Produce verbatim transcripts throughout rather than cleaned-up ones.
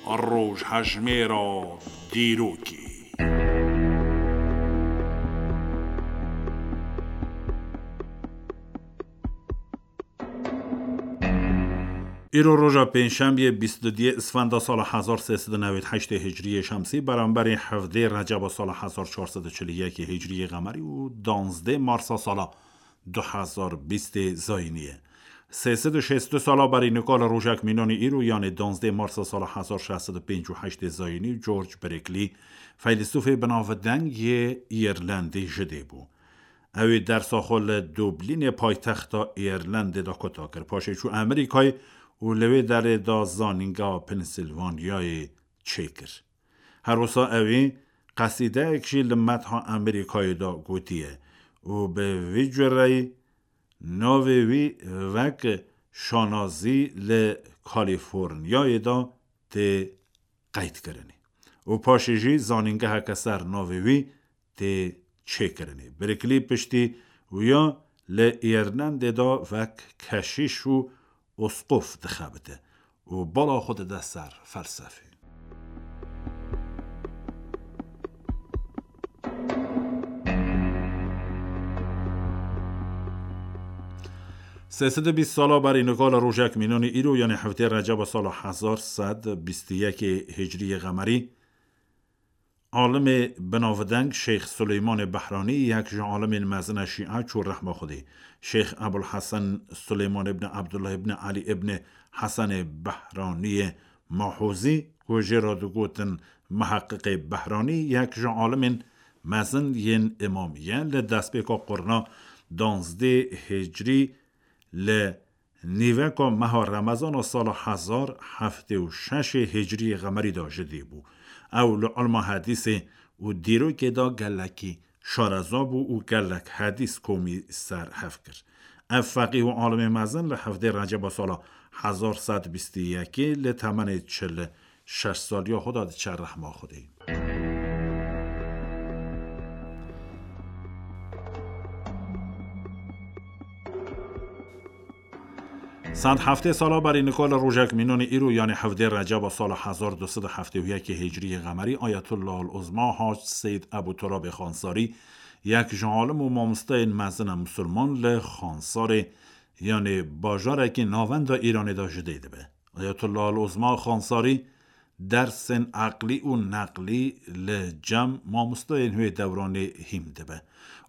Rojhejmêra dîrokê. Îro roja pêncşembiyê bîst û duyê Isfenda sala hezar sê sed û newêd heştê Hicriyê Şemsî, beramberî hevdê Receba sala hezar çar sed û çil û yekê Hicriyê Qemerî û danzdê Marsa sala du hezar bîstê Zayînî ye. Sê sed û şêst û du sala berî nika li rojek mînanî îro, yanê danzdê Marsa sala hezar şeş sed û pêncî û heştê Zayînî, George Brickley, feylesûfê binavdeng yê Îrlendî ji dê bû. Ew ê dersa xwe li Dublînê, paytexta Îrlendê de kota kir. Paşê çû Amerîkayê û li wê derê de zanîngeha Pennsylvaniayê çêkir. Her wisa ew ê qesîdeyek jî li metha Amerîkayê de gotiye û bi vî cureyî navê wî wek şanazî li Kalîforniyayê de tê qeydkirinê û paşê jî zanîngeheke ser navê wî tê çêkirinê. Brickley piştî wîya li Îrlendê de wek keşîş û usqof dixebite û bala xwe dide ser felsefê. Sê sed û bîst sala berî nika li rojek mînanî îro, yanê hevdê Receba sala hezar sed bîst û yekê Hicriyê Qemerî, alimê binavdeng Şêx Suleymanê Behranî, yek ji alimên mezin e Şîa, çû rehma Xwedê. Şêx Ebul Hesen Suleyman ibn Abdullah ibn Ali ibn Hesenê Behraniyê Mahûzî, ku jê re digotin Miheqiqê Behranî, yek ji alimên mezin yên îmamî ye, li destpêka qurna danzdê Hicriyê li nîveka meha Remezana sala hezar heftê û şeşê Hicriyê Qemerî de ji dê bû. Ew li ilma hedîsê û dîrokê de gelekî şareza bû û gelek hedîs komî ser hev kir. Ev feqîh û alimê mezin li hevdê Receba sala hezar sed bîst û yekê li temenê çil û şeş saliya xwe de diçe rehma Xwedê. Sed heftê sala berî nika li rojek mînanî îro, yanê hevdê Receba sala hezar du sed û heftê û yekê Hicriyê Qemerî, Ayetullah el-Uzma Hac Seyd Ebu Turabê Xansarî, yek ji alim û mamosteyên mezin e musulman, li Xansarê, yanê bajarekî navenda Îranê de ji dê dibe. Ayetullah el-Uzma Xansarî dersên eqlî û neqlî li cem mamosteyên wê dewranê hîm dibe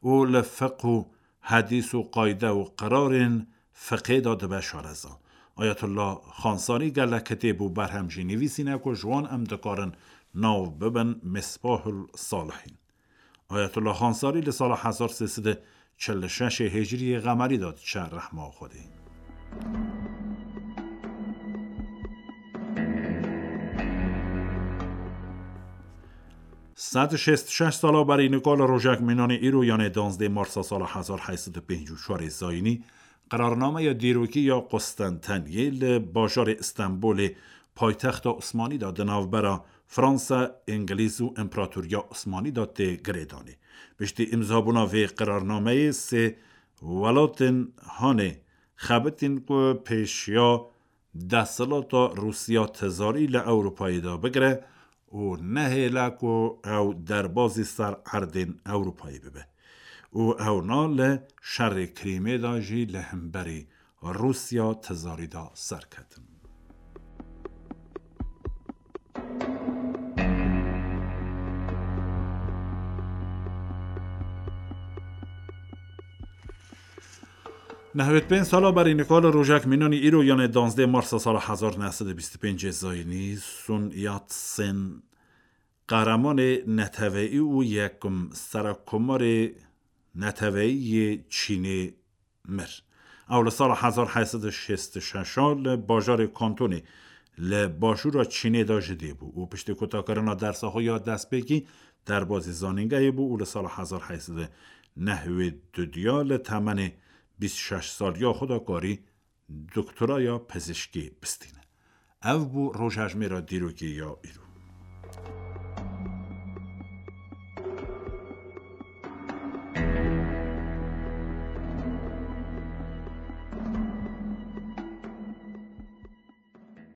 û li fiqh û hedîs û qayde û qirarên fiqhê de dibe şareza. Ayetullah Xansarî gelek kitêb û berhem jî nivîsîne ku ji wan em dikarin nav bibin Misbahul Salihîn. Ayetullah Xansarî li sala hezar sê sed û çil û şeşê Hicriyê Qemerî de diçe rehma Xwedê. Sed û şêst û şeş sala berî nika li rojek mînanî îro, yanê danzdê Marsa sala hezar heyt sed û pêncî û çarê Zayînî, qirarnameya dîrokî ya Qustenteniyê li bajarê Stenbolê, paytexta Osmanî de, di navbera Fransa, Îngilîz û Împaratoriya Osmanî de tê girêdanê. Piştî îmzabûna vê qirarnameyê sê welatên hanê xebitîn ku pêşiya desthilata Rûsya tizarî li Ewropayê de bigire û nehêle ku ew derbazî ser erdên Ewropayê bibe. Û ewna li şerê Krîmê de jî li hemberî Rûsya tizarî de serketin. Nehwêd pênc sala berî nika li rojek mînanî îro, yanê danzdê Marsa sala hezar neh sed û bîst û pêncê Zayînî, Sun Yat-sen, qehremanê neteweyî û yekim serekkomarê neteweyî yê Çînê mir. Ew li sala hezar heyt sed û şêst û şeş a li bajarê Kantonê li başûra Çînê de ji dê bû û piştî kotakirina dersa xwe ya destpêkî derbazî zanîngehê bû û li sala hezar heyt sed û nehwêd û du ya li temenê bîst û şeş saliya xwe de karî doktoraya pizîşkî bistîne. Ev bû rojhejmêra dîrokê ya îro.